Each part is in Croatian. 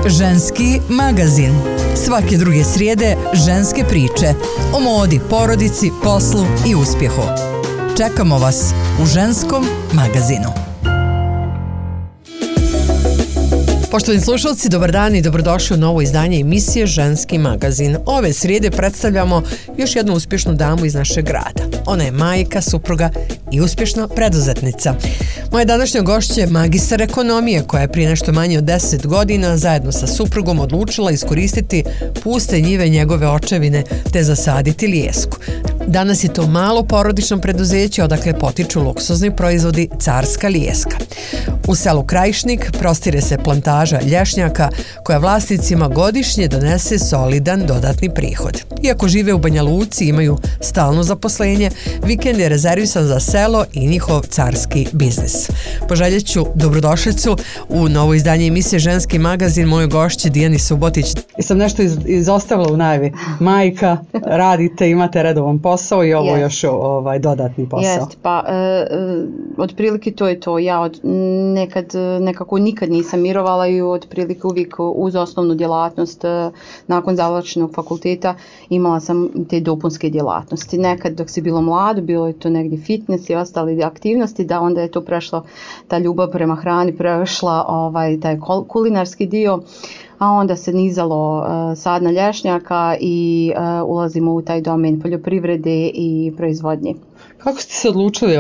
Ženski magazin. Svake druge srijede ženske priče o modi, porodici, poslu i uspjehu. Čekamo vas u Ženskom magazinu. Poštovani slušalci, dobar dan i dobrodošli u novo izdanje emisije Ženski magazin. Ove srijede predstavljamo još jednu uspješnu damu iz našeg grada. Ona je majka, supruga i uspješna preduzetnica. Moja današnja gošća je magistar ekonomije koja je prije nešto manje od 10 godina zajedno sa suprugom odlučila iskoristiti puste njive njegove očevine te zasaditi lijesku. Danas je to malo porodično preduzeće odakle potiču luksuzni proizvodi Carska lijeska. U selu Krajišnik prostire se plantaža lješnjaka koja vlasnicima godišnje donese solidan dodatni prihod. Iako žive u Banja Luci i imaju stalno zaposlenje, vikend je rezervisan za selo i njihov carski biznis. Poželjet ću dobrodošlicu u novo izdanje emisije Ženski magazin mojoj gošći Dijani Subotić. Sam nešto izostavila u najavi. Majka, radite, imate redovan posao i ovo još dodatni posao. Jest, pa otprilike to je to. Ja nekako nikad nisam mirovala i otprilike uvijek uz osnovnu djelatnost nakon završenog fakulteta imala sam te dopunske djelatnosti. Nekad dok si bilo mlado, bilo je to negdje fitness i ostale aktivnosti, da onda je to prešlo, ta ljubav prema hrani prešla taj kulinarski dio, a onda se nizalo sadna lješnjaka i ulazimo u taj domen poljoprivrede i proizvodnje. Kako ste se odlučili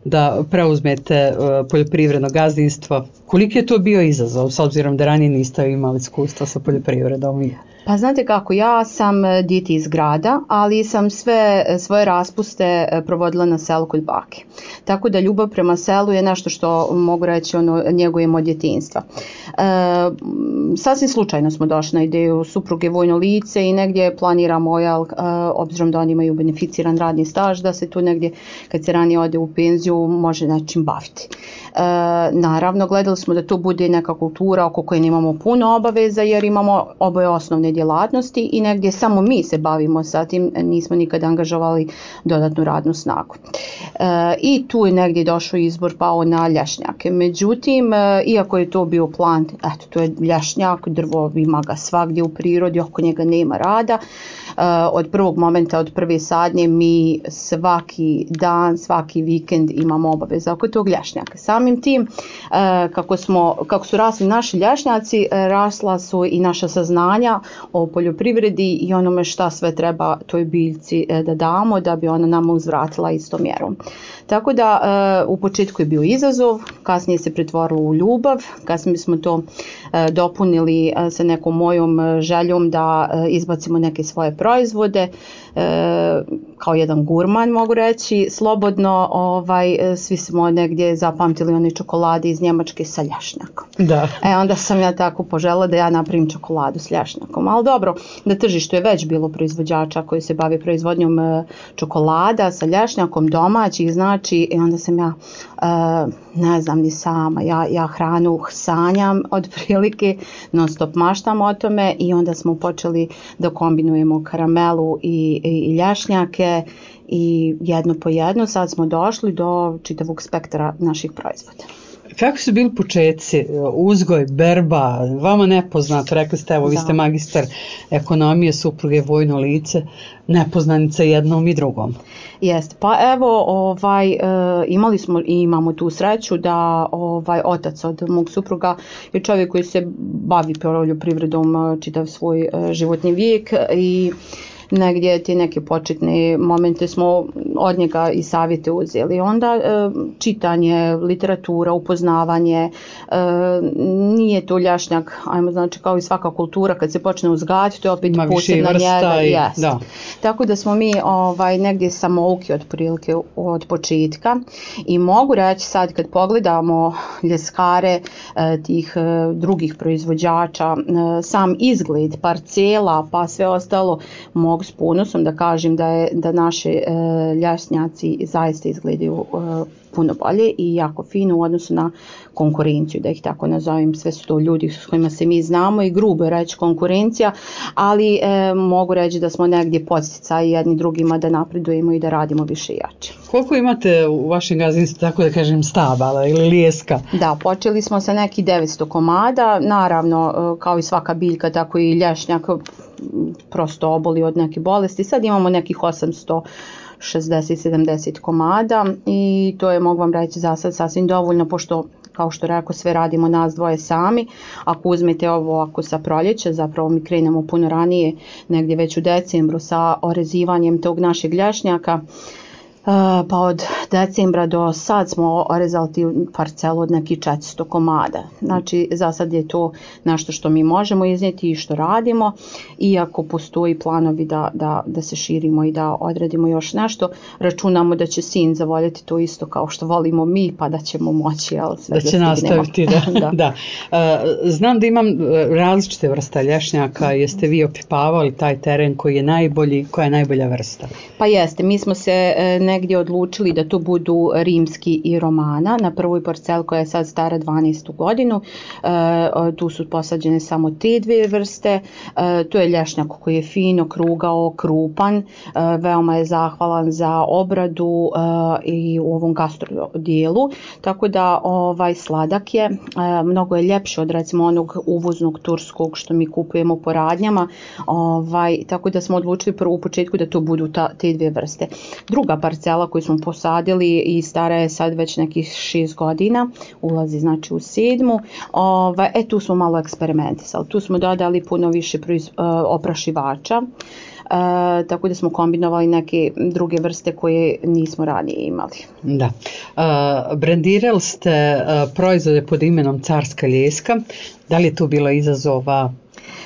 da preuzmete poljoprivredno gazdinstvo? Koliki je to bio izazov s obzirom da ranije niste imali iskustva sa poljoprivredom? Pa znate kako, ja sam dijete iz grada, ali sam sve svoje raspuste provodila na selu kod bake. Tako da ljubav prema selu je nešto što mogu reći njegujemo od djetinjstva. Sasvim slučajno smo došli na ideju supruge vojno lice i negdje planiramo, obzirom da oni imaju beneficiran radni staž, da se tu negdje kad se ranije ode u penziju može nečim baviti. Naravno, gledali smo da to bude neka kultura oko koje nemamo puno obaveza jer imamo oboje osnovne djelatnosti i negdje samo mi se bavimo sa tim, nismo nikada angažovali dodatnu radnu snagu. I tu je negdje došao izbor pao na lješnjake. Međutim, iako je to bio plan, to je lješnjak, drvo ima ga svagdje u prirodi, oko njega nema rada. Od prvog momenta, od prve sadnje mi svaki dan, svaki vikend imamo obaveza oko tog lješnjaka. Samim tim, kako su rasli naši lješnjaci, rasla su i naša saznanja o poljoprivredi i onome šta sve treba toj biljci da damo da bi ona nama uzvratila istom mjerom. Tako da u početku je bio izazov, kasnije se pretvorilo u ljubav, kasnije smo to dopunili sa nekom mojom željom da izbacimo neke svoje proizvode, kao jedan gurman mogu reći, slobodno svi smo negdje zapamtili one čokolade iz Njemačke sa lješnjakom. Da. Onda sam ja tako poželjela da ja napravim čokoladu s lješnjakom, ali dobro, na tržištu je već bilo proizvođača koji se bave proizvodnjom čokolada sa lješnjakom domaćih, znači, i onda sam ja, ne znam ni sama, ja hranu sanjam otprilike, non stop maštam o tome i onda smo počeli da kombinujemo karamelu i lješnjake i jedno po jedno sad smo došli do čitavog spektra naših proizvoda. Kako su bili početci, uzgoj, berba, vama nepoznato, rekli ste, vi ste magistar ekonomije, supruge vojno lice, nepoznanica jednom i drugom. Jeste, pa evo, imali smo i imamo tu sreću da otac od mog supruga je čovjek koji se bavi poljoprivredom čitav svoj životni vijek i negdje te neke početne momente smo od njega i savjete uzeli. Onda čitanje, literatura, upoznavanje, nije to lješnjak, znači kao i svaka kultura kad se počne uzgajati, to je opet posebna njega. Da. Tako da smo mi negdje samouki otprilike od početka i mogu reći sad kad pogledamo ljeskare tih drugih proizvođača, sam izgled parcela pa sve ostalo, mogu s ponosom da kažem da naše lješnjaci zaista izgledaju puno bolje i jako fino u odnosu na konkurenciju, da ih tako nazovem. Sve su to ljudi s kojima se mi znamo i grubo je reći konkurencija, ali mogu reći da smo negdje podsticaj jedni drugima da napredujemo i da radimo više i jače. Koliko imate u vašem gazdinstvu, tako da kažem, stabala ili lijeska? Da, počeli smo sa neki 900 komada, naravno kao i svaka biljka, tako i lješnjak prosto oboli od neke bolesti. Sad imamo nekih 860-70 komada i to je, mogu vam reći, za sad sasvim dovoljno, pošto kao što rekao, sve radimo nas dvoje sami. Ako uzmete ovo, ako sa proljeća, zapravo mi krenemo puno ranije, negdje već u decembru sa orezivanjem tog našeg lješnjaka, pa od decembra do sad smo orezali parcelu od nekih 400 komada. Znači, za sad je to nešto što mi možemo iznijeti i što radimo, iako postoji planovi da se širimo i da odradimo još nešto. Računamo da će sin zavoljeti to isto kao što volimo mi, pa da ćemo moći sve da će nastaviti. Da. Znam da imam različite vrste lješnjaka. Jeste vi opipavali taj teren koji je najbolji, koja je najbolja vrsta? Pa jeste, mi smo se negdje odlučili da to budu rimski i romana na prvoj parceli koja je sad stara 12. godinu. Tu su posađene samo te dvije vrste. To je lješnjak koji je fino, krugao, krupan, veoma je zahvalan za obradu i u ovom gastro dijelu, tako da sladak je, mnogo je ljepši od recimo onog uvoznog turskog što mi kupujemo po radnjama, tako da smo odlučili prvo u početku da to budu te dvije vrste. Druga parcela koju smo posadili i stara je sad već nekih 6 godina, ulazi znači u 7. Tu smo malo eksperimentisali, tu smo dodali puno više oprašivača, tako da smo kombinovali neke druge vrste koje nismo ranije imali. Da. Brendirali ste proizvode pod imenom Carska ljeska, da li je tu bilo izazova?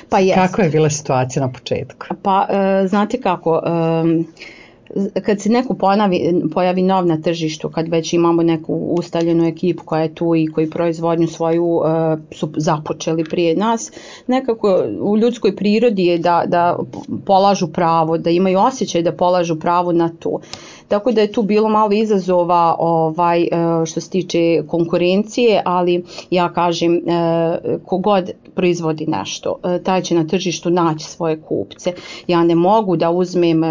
Pa jest. Kakva je bila situacija na početku? Pa znate kako, kad se neko pojavi nov na tržištu, kad već imamo neku ustaljenu ekipu koja je tu i koji proizvodnju svoju su započeli prije nas, nekako u ljudskoj prirodi je da polažu pravo, da imaju osjećaj da polažu pravo na to. Tako da je tu bilo malo izazova što se tiče konkurencije, ali ja kažem, kogod proizvodi nešto, taj će na tržištu naći svoje kupce. Ja ne mogu da uzmem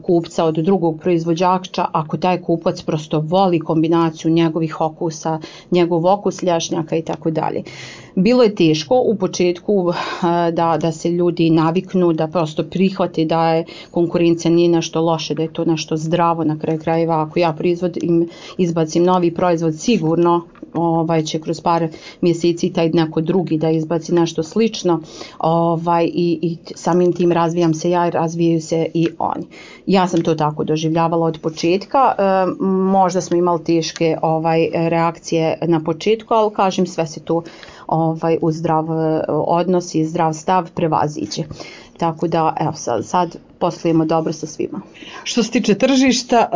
kupca od drugog proizvođača ako taj kupac prosto voli kombinaciju njegovih okusa, njegov okus lješnjaka i tako dalje. Bilo je teško u početku da se ljudi naviknu, da prosto prihvate da je konkurencija nije nešto loše, da je to nešto zdravo na kraju krajeva. Ako ja izbacim novi proizvod, sigurno će kroz par mjeseci taj neko drugi da izbaci nešto slično i samim tim razvijam se ja i razvijaju se i oni. Ja sam to tako doživljavala od početka, možda smo imali teške reakcije na početku, ali kažem, sve se to u zdrav odnos i zdrav stav prevaziđe. Tako da evo sad poslujemo dobro sa svima. Što se tiče tržišta,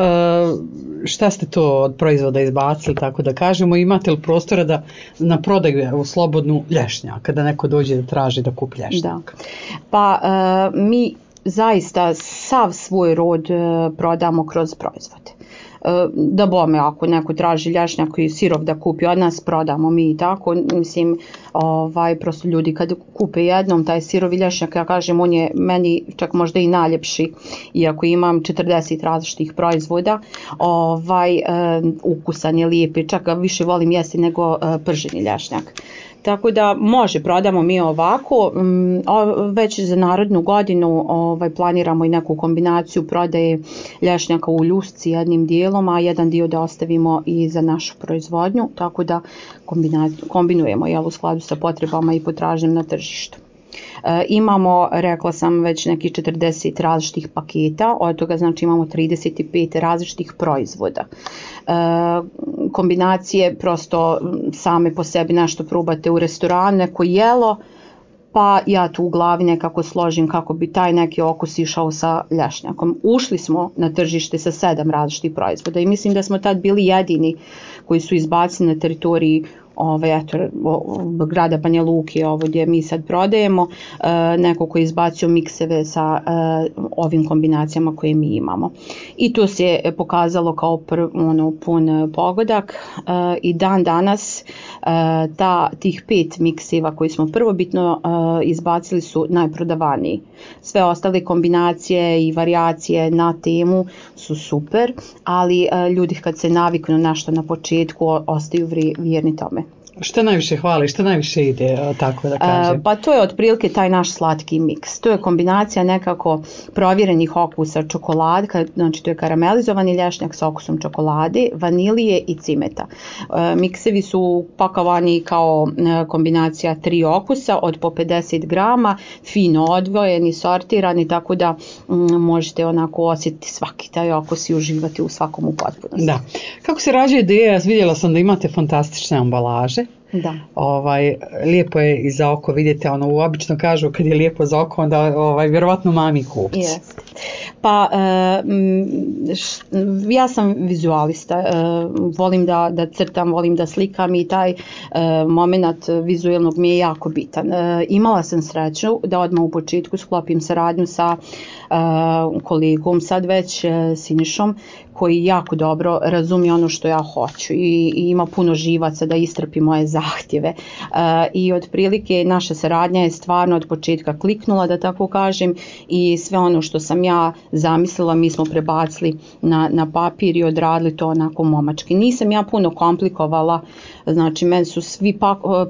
šta ste to od proizvoda izbacili, tako da kažemo, imate li prostora da na prodaju u slobodnu lješnjaka, da neko dođe da traži da kupi lješnjak? Da. Pa mi zaista sav svoj rod prodamo kroz proizvode. Da bome, ako neko traži lješnjak i sirov da kupi od nas, prodamo mi i tako. Mislim, prosto ljudi kad kupe jednom taj sirovi lješnjak, ja kažem, on je meni čak možda i najljepši, iako imam 40 različitih proizvoda, ukusan je, lijepi, čak ga više volim jesti nego prženi lješnjak. Tako da prodamo mi ovako, već za narednu godinu planiramo i neku kombinaciju prodaje lješnjaka u ljusci jednim dijelom, a jedan dio da ostavimo i za našu proizvodnju, tako da kombinujemo u skladu sa potrebama i potražnjom na tržištu. Imamo, rekla sam, već neki 40 različitih paketa, od toga znači imamo 35 različitih proizvoda. Kombinacije prosto same po sebi nešto probate u restoranu, neko jelo, pa ja tu u glavi nekako složim kako bi taj neki okus išao sa lješnjakom. Ušli smo na tržište sa 7 različitih proizvoda i mislim da smo tad bili jedini koji su izbacili na teritoriji grada Banja Luke, ovo gdje mi sad prodajemo, neko koji je izbacio mikseve sa ovim kombinacijama koje mi imamo. I to se je pokazalo kao pun pogodak i dan danas tih 5 mikseva koji smo prvobitno izbacili su najprodavaniji. Sve ostale kombinacije i varijacije na temu su super, ali ljudi kad se naviknu nešto na početku ostaju vjerni tome. Što najviše hvali, što najviše ide, tako da kažem? Pa to je otprilike taj naš slatki miks. To je kombinacija nekako provjerenih okusa čokolade, znači to je karamelizovani lješnjak sa okusom čokolade, vanilije i cimeta. Miksevi su pakovani kao kombinacija 3 okusa od po 50 grama, fino odvojeni, sortirani, tako da možete onako osjetiti svaki taj okus i uživati u svakom u potpunosti. Da. Kako se rađa ideja? Vidjela sam da imate fantastične ambalaže. Da. Lijepo je i za oko, vidite, obično kažu kad je lijepo za oko, onda vjerovatno mami kupci. Yes. Pa ja sam vizualista, volim da crtam, volim da slikam i taj moment vizualnog mi je jako bitan. Imala sam sreću da odmah u početku sklopim saradnju sa kolegom, sad već Sinišom, koji jako dobro razumije ono što ja hoću i ima puno živaca da istrpi moje zahtjeve. I otprilike naša saradnja je stvarno od početka kliknula, da tako kažem, i sve ono što sam ja zamislila mi smo prebacili na papir i odradili to onako momački. Nisam ja puno komplikovala, znači meni su svi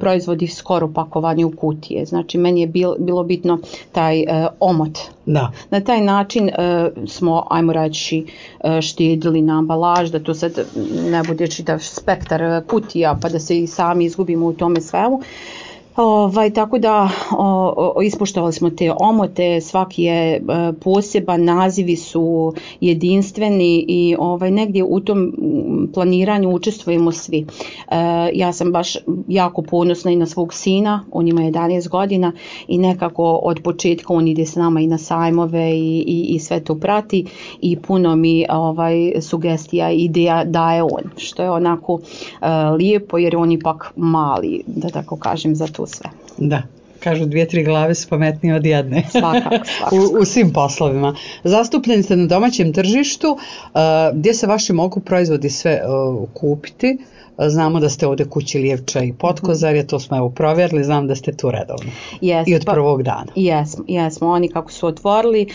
proizvodi skoro pakovani u kutije, znači meni je bilo bitno taj omot. Da. Na taj način smo, ajmo reći, štedili na ambalaž, da to sad ne bude čitav spektar kutija pa da se i sami izgubimo u tome svemu. Tako da ispoštovali smo te omote, svaki je poseban, nazivi su jedinstveni i negdje u tom planiranju učestvujemo svi. Ja sam baš jako ponosna i na svog sina, on ima 11 godina i nekako od početka on ide s nama i na sajmove i sve to prati i puno mi sugestija i ideja daje on, što je onako lijepo jer on ipak mali, da tako kažem, za to sve. Da, kažu 2-3 glave su pametnije od jedne. Svakako. U svim poslovima. Zastupljeni ste na domaćem tržištu, gdje se vaši mogu proizvodi sve kupiti. Znamo da ste ovdje kući Lijevča i Potkozarje, to smo evo provjerili, znam da ste tu redovno. I od prvog dana. Jesmo, oni kako su otvorili,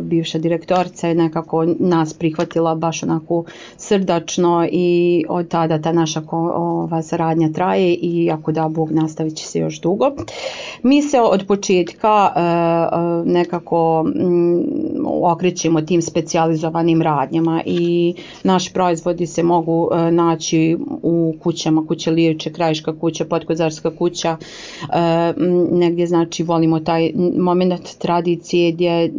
bivša direktorica je nekako nas prihvatila baš onako srdačno i od tada ta naša saradnja traje i ako da Bog nastavit će se još dugo. Mi se od početka nekako okrećemo tim specijalizovanim radnjama i naši proizvodi se mogu naći u kućama, kuća Lijevče, Krajiška kuća, Potkozarska kuća, negdje znači volimo taj moment tradicije gdje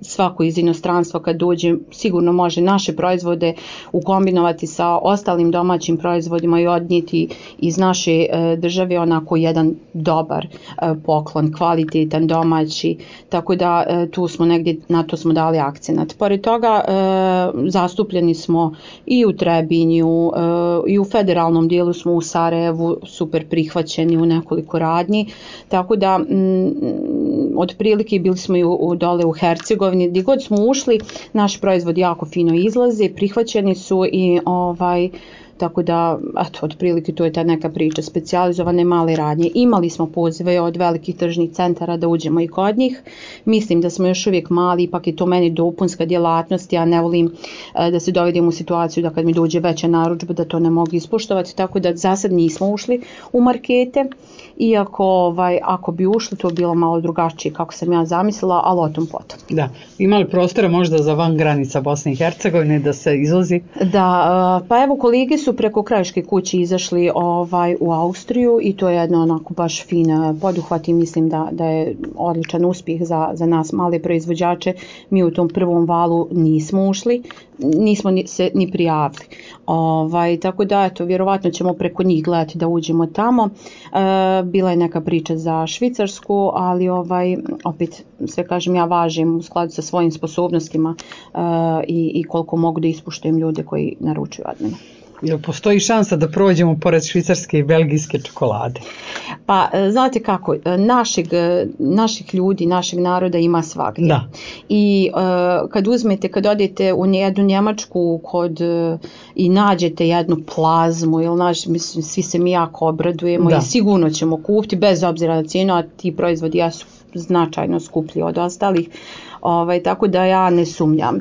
svako iz inostranstva kad dođe sigurno može naše proizvode ukombinovati sa ostalim domaćim proizvodima i odnijeti iz naše države onako jedan dobar poklon, kvalitetan, domaći, tako da tu smo negdje, na to smo dali akcenat. Pored toga zastupljeni smo i u Trebinju, i u federalnom dijelu smo u Sarajevu super prihvaćeni u nekoliko radnji, tako da otprilike bili smo i dole u Hercegovini, gdje god smo ušli naši proizvodi jako fino izlaze, prihvaćeni su i tako da, eto, otprilike to je ta neka priča, specijalizovane male radnje. Imali smo pozive od velikih tržnih centara da uđemo i kod njih. Mislim da smo još uvijek mali, ipak je to meni dopunska djelatnost. Ja ne volim da se dovedem u situaciju da kad mi dođe veća narudžba da to ne mogu ispoštovati, tako da za sad nismo ušli u markete. Iako ako bi ušli to bi bilo malo drugačije kako sam ja zamislila, ali o tom potom. Da, ima li prostora možda za van granica Bosne i Hercegovine da se izlazi? Da, pa evo kolege su preko Krajiške kuće izašli u Austriju i to je jedno onako baš fin poduhvat i mislim da je odličan uspjeh za nas male proizvođače. Mi u tom prvom valu nismo ušli, nismo se ni prijavili. Tako da eto, vjerovatno ćemo preko njih gledati da uđemo tamo. Bila je neka priča za Švicarsku, ali opet sve kažem ja važim u skladu sa svojim sposobnostima i koliko mogu da ispuštujem ljude koji naručuju od mene. Jel postoji šansa da prođemo pored švicarske i belgijske čokolade? Pa, znate kako, naših ljudi, našeg naroda ima svagdje. Da. I kad odete u jednu Njemačku i nađete jednu plazmu, mislim, svi se mi jako obradujemo i sigurno ćemo kupiti, bez obzira na cijenu, a ti proizvodi jesu značajno skuplji od ostalih. Tako da ja ne sumnjam.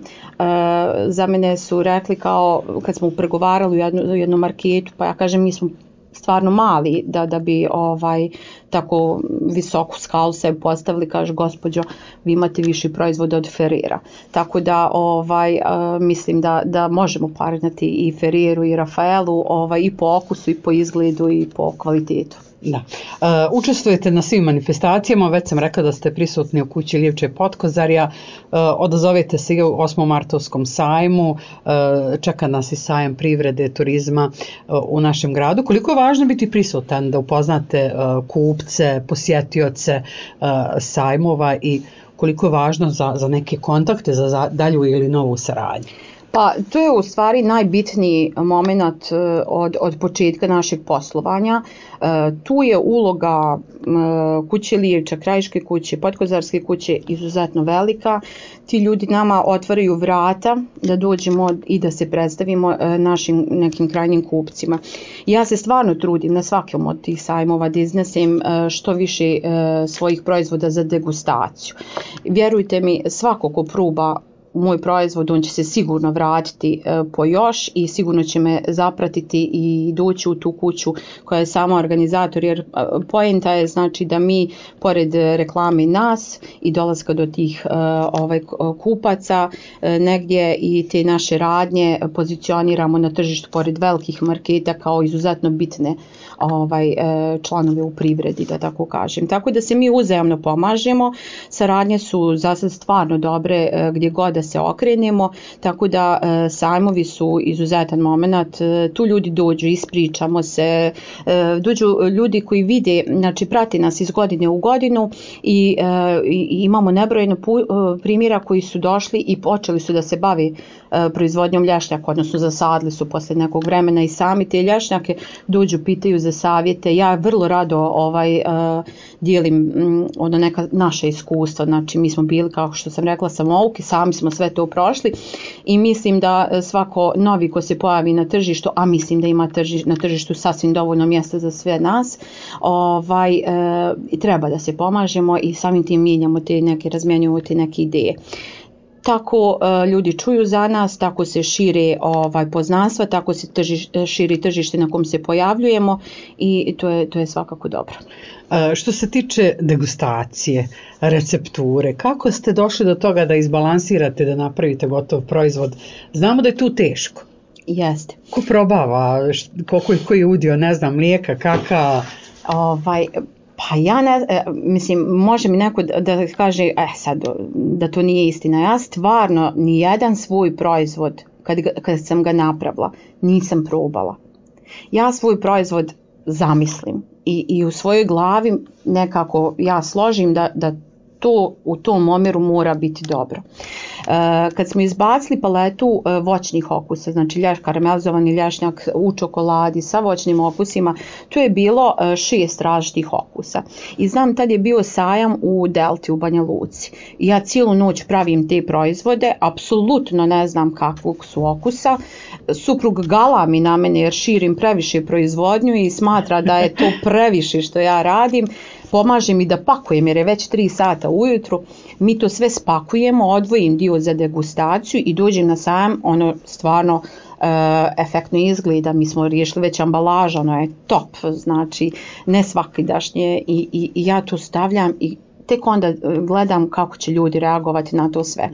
Za mene su rekli kad smo pregovarali u jednom marketu, pa ja kažem mi smo stvarno mali da bi tako visoku skalu sebi postavili, kaže gospođo vi imate viši proizvod od Ferrera. Tako da mislim da možemo parirati i Ferreru i Rafaelu i po okusu i po izgledu i po kvalitetu. Da. Učestvujete na svim manifestacijama, već sam rekla da ste prisutni u kući Livče Potkozarja, odazovete se u 8. martovskom sajmu, čeka nas i sajam privrede, turizma u našem gradu. Koliko je važno biti prisutan da upoznate kupce, posjetioce sajmova i koliko je važno za neke kontakte, za dalju ili novu saradnju? Pa to je u stvari najbitniji moment od početka našeg poslovanja. Tu je uloga kuće Livča, Krajiške kuće, Potkozarske kuće izuzetno velika. Ti ljudi nama otvaraju vrata da dođemo i da se predstavimo našim nekim krajnjim kupcima. Ja se stvarno trudim na svakom od tih sajmova da iznesem što više svojih proizvoda za degustaciju. Vjerujte mi, svako ko proba moj proizvod, on će se sigurno vratiti po još i sigurno će me zapratiti i doći u tu kuću koja je sama organizator, jer poenta je znači da mi pored reklame nas i dolaska do tih kupaca negdje i te naše radnje pozicioniramo na tržištu pored velikih marketa kao izuzetno bitne članove u privredi, da tako kažem. Tako da se mi uzajamno pomažemo, saradnje su za sad stvarno dobre gdje god da se okrenemo, tako da sajmovi su izuzetan moment, tu ljudi dođu, ispričamo se, dođu ljudi koji vide, znači prati nas iz godine u godinu i imamo nebrojeno primjera koji su došli i počeli su da se bavi proizvodnjom lješnjaka, odnosno zasadili su poslije nekog vremena i sami te lješnjake, dođu, pitaju za savjete. Ja vrlo rado dijelim neka naša iskustva, znači mi smo bili, kao što sam rekla, samouki, sami smo sve to prošli i mislim da svako novi ko se pojavi na tržištu, a mislim da ima na tržištu sasvim dovoljno mjesta za sve nas, treba da se pomažemo i samim tim mijenjamo te neke, razmjenjujemo te neke ideje. Tako ljudi čuju za nas, tako se šire poznanstva, tako se širi tržište na kom se pojavljujemo i to je svakako dobro. Što se tiče degustacije, recepture, kako ste došli do toga da izbalansirate, da napravite gotov proizvod? Znamo da je tu teško. Jeste. Ko probava, koji je udio, ne znam, mlijeka, kakao? Pa ja mislim, može mi neko da kaže sad da to nije istina. Ja stvarno nijedan svoj proizvod kad sam ga napravila nisam probala. Ja svoj proizvod zamislim i u svojoj glavi nekako ja složim da to u tom omjeru mora biti dobro. Kad smo izbacili paletu voćnih okusa, znači karamelizovani lješnjak u čokoladi sa voćnim okusima, tu je bilo 6 različitih okusa. I znam, tad je bio sajam u Delti u Banja Luci. Ja cijelu noć pravim te proizvode, apsolutno ne znam kakvog su okusa. Suprug galami na mene jer širim previše proizvodnju i smatra da je to previše što ja radim. Pomaže mi da pakujem jer je već 3 sata ujutru. Mi to sve spakujemo, odvojim dio za degustaciju i dođem na sajam, ono stvarno efektno izgleda. Mi smo riješili već ambalaža, ono je top, znači ne svakidašnje i ja to stavljam i tek onda gledam kako će ljudi reagovati na to sve.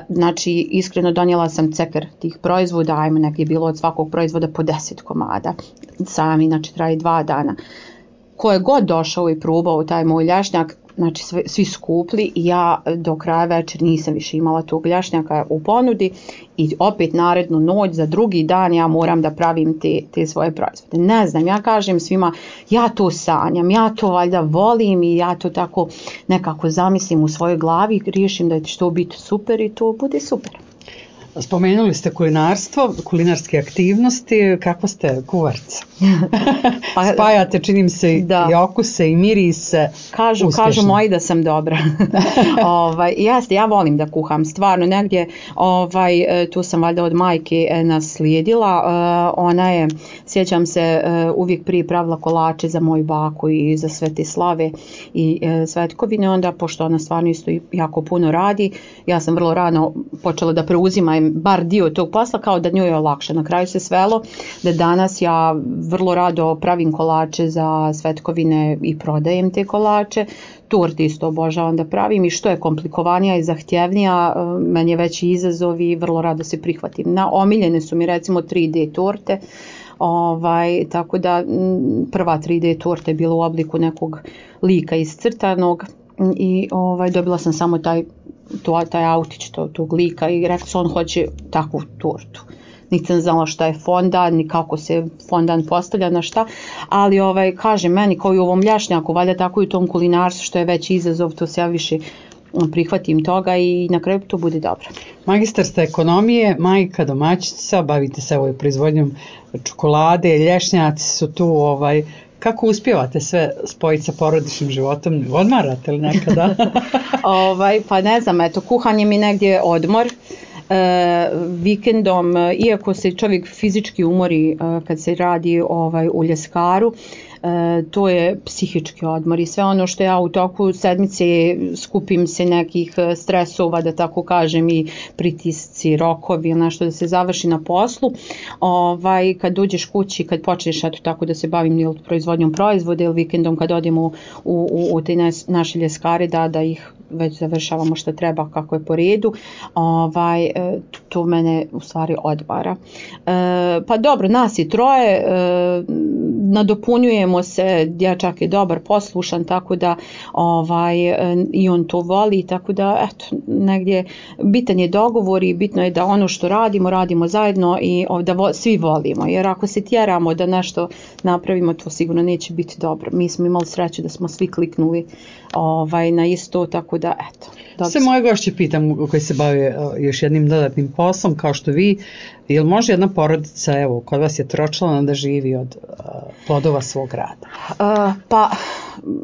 Znači iskreno donijela sam ceker tih proizvoda, ajmo negdje bilo od svakog proizvoda po 10 komada. Sajam inače traje 2 dana. Ko je god došao i probao taj moj lješnjak, znači svi skupli i ja do kraja večer nisam više imala tog lješnjaka u ponudi i opet narednu noć za drugi dan ja moram da pravim te svoje proizvode. Ne znam, ja kažem svima, ja to sanjam, ja to valjda volim i ja to tako nekako zamislim u svojoj glavi, riješim da će to biti super i to bude super. Spomenuli ste kulinarstvo, kulinarske aktivnosti, kako ste kuvarca? Spajate, čini mi se, i okuse i mirise. Kažu moji da sam dobra. Jeste, ja volim da kuham, stvarno negdje, tu sam valjda od majke naslijedila, ona je, sjećam se, uvijek prije pravila kolače za moju baku i za sve te slave i svetkovine, onda pošto ona stvarno isto jako puno radi, ja sam vrlo rano počela da preuzimam bar dio tog posla, kao da njoj je olakše. Na kraju se svelo da danas ja vrlo rado pravim kolače za svetkovine i prodajem te kolače, torte isto obožavam da pravim i što je komplikovanija i zahtjevnija, meni je veći izazov i vrlo rado se prihvatim. Omiljene su mi recimo 3D torte, tako da prva 3D torta je bila u obliku nekog lika iscrtanog i dobila sam samo taj autić tog lika i rekla su on hoće takvu tortu. Nisam znala šta je fondan, ni kako se fondan postavlja na šta, ali kažem meni kao i u ovom ljašnjaku, valjda tako i u tom kulinarstvu što je veći izazov, to se ja više prihvatim toga i na kraju to bude dobro. Magistar ste ekonomije, majka, domaćica, bavite se proizvodnjom čokolade, lješnjaci su tu, kako uspijevate sve spojiti sa porodičnim životom? Odmarate li nekada? Pa ne znam, kuhanje mi negdje odmor. Vikendom, iako se čovjek fizički umori kad se radi u ljeskaru, to je psihički odmor i sve ono što ja u toku sedmice skupim se nekih stresova, da tako kažem, i pritisci, rokovi, nešto da se završi na poslu, kad dođeš kući, kad počneš tako da se bavim proizvodnjom proizvoda ili vikendom kad odemo u te naše ljeskare da ih već završavamo što treba kako je po redu, to mene u stvari odmara. Pa dobro, nas je troje, nadopunjujemo se, dječak je dobar, poslušan, tako da i on to voli, tako da eto, negdje bitan je dogovor i bitno je da ono što radimo zajedno i da svi volimo, jer ako se tjeramo da nešto napravimo, to sigurno neće biti dobro. Mi smo imali sreću da smo svi kliknuli na isto, tako da eto. Sve moje gošće pitam koji se bave još jednim dodatnim poslom kao što vi, jel može jedna porodica, evo, kod vas je tročlana, da živi od plodova svog rada? Pa,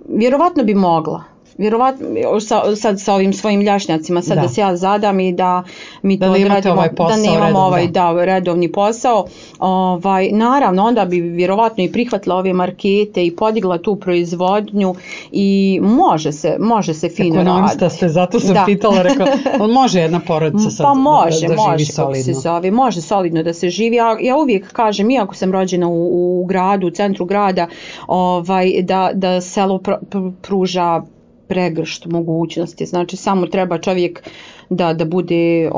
vjerovatno bi mogla. Vjerovatno, sad sa ovim svojim ljašnjacima, sad da se ja zadam i da mi to odradimo, da nemamo redovni posao, naravno onda bi vjerovatno i prihvatila ove markete i podigla tu proizvodnju i može se fino raditi. Ekonomista ste, zato sam pitala, rekla, može jedna porodica sad da živi solidno? Može solidno da se živi, ja uvijek kažem, iako sam rođena u gradu, u centru grada, da selo pruža pregršt mogućnosti, znači samo treba čovjek da bude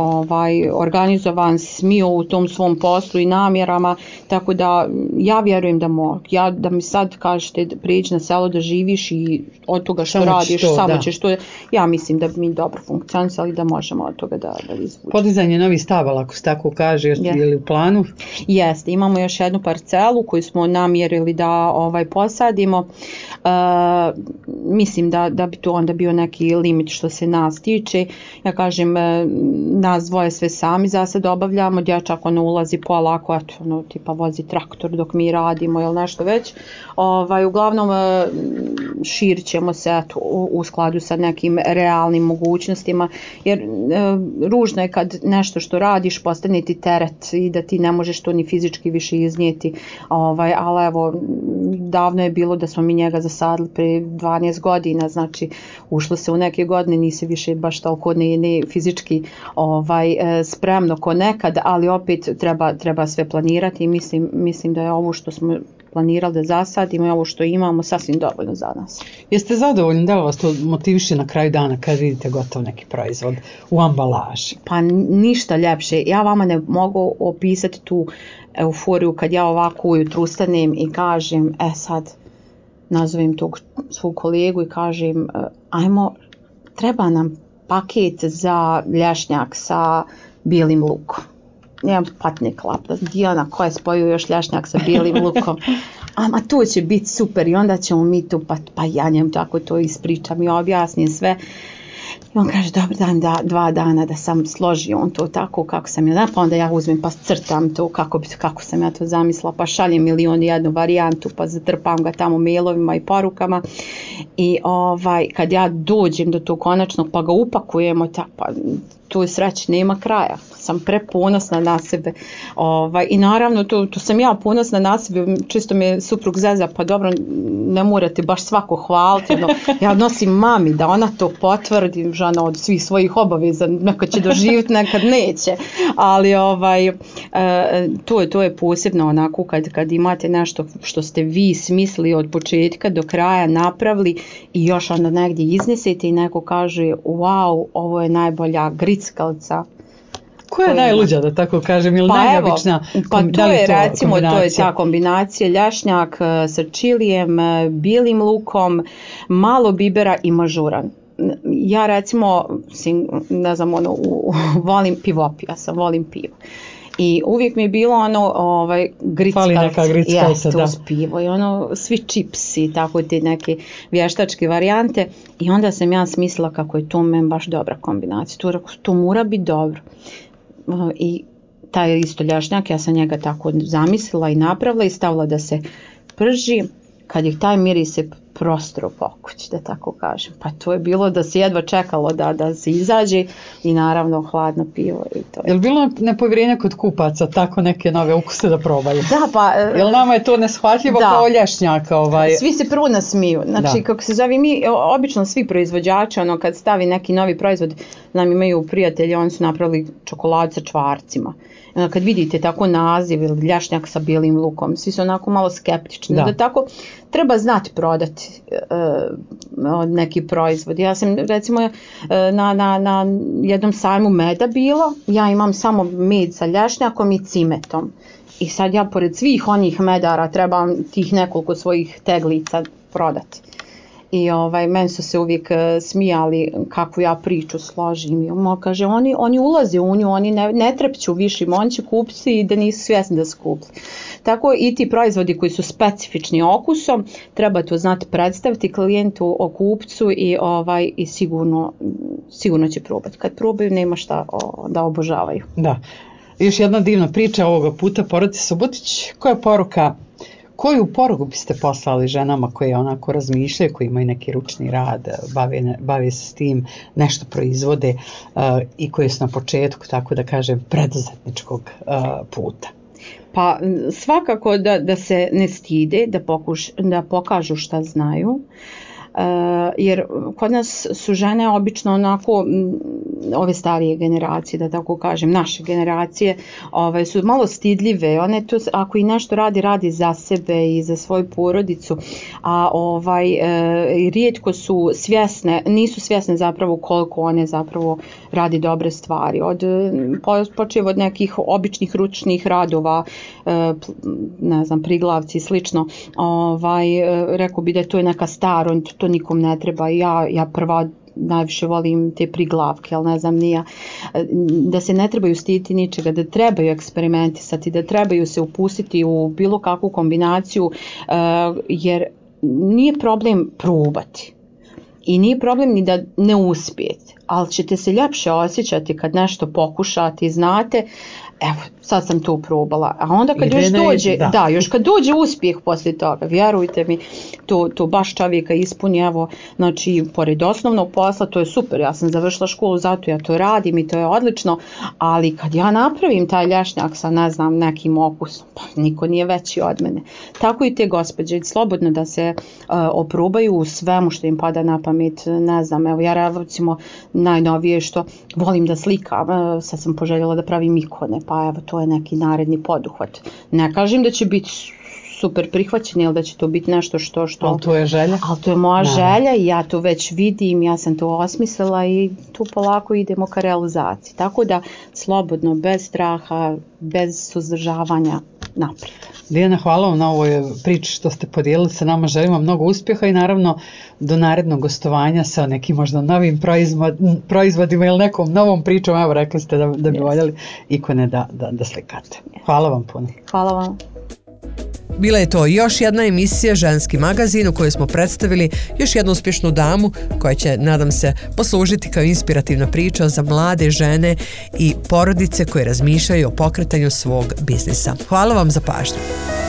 organizovan, smio u tom svom poslu i namjerama, tako da ja vjerujem da mogu. Da mi sad kažete prijeđi na selo da živiš i od toga što radiš, samo ćeš to, ja mislim da bi mi dobro funkcionisali, da možemo od toga da izvući. Podizanje novih stabala, ako se tako kaže, je li u planu? Jeste, imamo još jednu parcelu koju smo namjerili da posadimo. Mislim da bi to onda bio neki limit što se nas tiče. Ja kažem, nas dvoje sve sami za sad obavljamo, dječak ulazi polako, tipa vozi traktor dok mi radimo ili nešto već. Uglavnom širit ćemo se u skladu sa nekim realnim mogućnostima, jer ružno je kad nešto što radiš postane ti teret i da ti ne možeš to ni fizički više iznijeti, ali evo, davno je bilo da smo mi njega zasadili pre 12 godina, znači ušlo se u neke godine, nisi više baš toliko ne fizički spremno ko nekad, ali opet treba sve planirati i mislim da je ovo što smo planirali da zasadimo i ovo što imamo sasvim dovoljno za nas. Jeste zadovoljni, da li vas to motiviše na kraju dana kad vidite gotov neki proizvod u ambalaži? Pa ništa ljepše. Ja vama ne mogu opisati tu euforiju kad ja ovako ujutru ustanem i kažem, sad nazovem tog svog kolegu i kažem, treba nam paket za lješnjak sa bijelim lukom. Nemam patnje klapta, Dijana koja je spojio još lješnjak sa bijelim lukom, to će biti super i onda ćemo mi tu, pa ja njem tako to ispričam i objasnim sve. I on kaže, dobro, daj mi 2 dana da sam složio on to tako kako sam ja, pa onda ja uzmem pa crtam to kako sam ja to zamislila, pa šaljem 1.001 varijantu, pa zatrpam ga tamo mailovima i porukama i kad ja dođem do tog konačnog pa ga upakujemo, pa tu je sreći, nema kraja. Sam preponosna na sebe. I naravno, tu sam ja ponosna na sebe, čisto me suprug zeza, pa dobro, ne morate baš svako hvaliti. No, ja nosim mami da ona to potvrdi, žena od svih svojih obaveza, nekad će doživjeti, nekad neće. Ali to je posebno onako kad imate nešto što ste vi smislili od početka do kraja, napravili i još onda negdje iznesete i neko kaže, wow, ovo je najbolja grickalica. Koja je najluđa, da tako kažem, ili najneobična kombinacija? To je recimo, to je ta kombinacija lješnjak sa čilijem, bijelim lukom, malo bibera i mažuran. Ja recimo, ne znam, volim pivopija sam, volim pivo. I uvijek mi je bilo grickalica, da. Uz pivo i svi čipsi, tako te neke vještačke varijante. I onda sam ja smislila kako je to meni baš dobra kombinacija. To mora biti dobro. I taj isto lješnjak, ja sam njega tako zamislila i napravila i stavila da se prži. Kad je taj miris se prostro po kući, da tako kažem. Pa to je bilo da se jedva čekalo da se izađe i naravno hladno pivo. I to je. Je li bilo nepovjerenje kod kupaca tako neke nove ukuse da probaju? Da, pa... Jel nama je to neshvatljivo kao lješnjak? Svi se prvo nasmiju. Znači, kako se zove, mi obično svi proizvođači, kad stavi neki novi proizvod, nam imaju prijatelji, oni su napravili čokoladu sa čvarcima. Kad vidite tako naziv ili lješnjak sa bijelim lukom, svi su onako malo skeptični. Da tako treba znati prodati neki proizvod. Ja sam recimo na jednom sajmu meda bila, ja imam samo med sa lješnjakom i cimetom. I sad ja pored svih onih medara trebam tih nekoliko svojih teglica prodati. I meni su se uvijek smijali kako ja priču složim. I kaže, oni ulaze u nju, oni ne trepću više, oni će kupiti i da nisu svjesni da su kupili. Tako i ti proizvodi koji su specifični okusom, treba to znati predstaviti klijentu, o kupcu i sigurno će probati. Kad probaju, nema šta da obožavaju. Da. Još jedna divna priča ovoga puta, porodice Subotić. Koju poruku biste poslali ženama koje onako razmišljaju, koji imaju neki ručni rad, bave se s tim, nešto proizvode i koje su na početku, tako da kažem, preduzetničkog puta? Pa svakako da se ne stide, da pokažu šta znaju. Jer kod nas su žene obično onako, ove starije generacije, da tako kažem, naše generacije, su malo stidljive. One to, ako i nešto radi za sebe i za svoju porodicu, a rijetko su svjesne, nisu svjesne zapravo koliko one zapravo radi dobre stvari. Počev od nekih običnih ručnih radova, ne znam, priglavci i slično, rekao bi da to je neka staro, to nikom ne treba. Ja prva najviše volim te priglavke, ali ne znam nija, da se ne trebaju stiditi ničega, da trebaju eksperimentisati, da trebaju se upustiti u bilo kakvu kombinaciju, jer nije problem probati i nije problem ni da ne uspijete, ali ćete se ljepše osjećati kad nešto pokušate i znate, evo, sad sam to probala, a onda kad još kad dođe uspjeh poslije toga, vjerujte mi, to baš čovjeka ispuni, evo, znači, pored osnovnog posla, to je super, ja sam završila školu, zato ja to radim i to je odlično, ali kad ja napravim taj lješnjak sa, ne znam, nekim okusom, pa niko nije veći od mene. Tako i te gospođe, slobodno da se oprobaju u svemu što im pada na pamet, ne znam, evo, ja recimo najnovije što volim da slikam, sad sam poželjela da pravim ikone, pa evo, to je neki naredni poduhvat. Ne kažem da će biti super prihvaćeni ili da će to biti nešto što... Ali to je želja. Ali to je moja želja i ja to već vidim, ja sam to osmislila i tu polako idemo ka realizaciji. Tako da slobodno, bez straha, bez suzdržavanja, naprijed. Dijana, hvala vam na ovoj priči što ste podijelili sa nama, želimo mnogo uspjeha i naravno do narednog gostovanja sa nekim možda novim proizvodima ili nekom novom pričom, evo rekli ste da bi voljeli ikone da slikate. Hvala vam puno. Hvala vam. Bila je to još jedna emisija Ženski magazin u kojoj smo predstavili još jednu uspješnu damu koja će, nadam se, poslužiti kao inspirativna priča za mlade žene i porodice koje razmišljaju o pokretanju svog biznisa. Hvala vam za pažnju.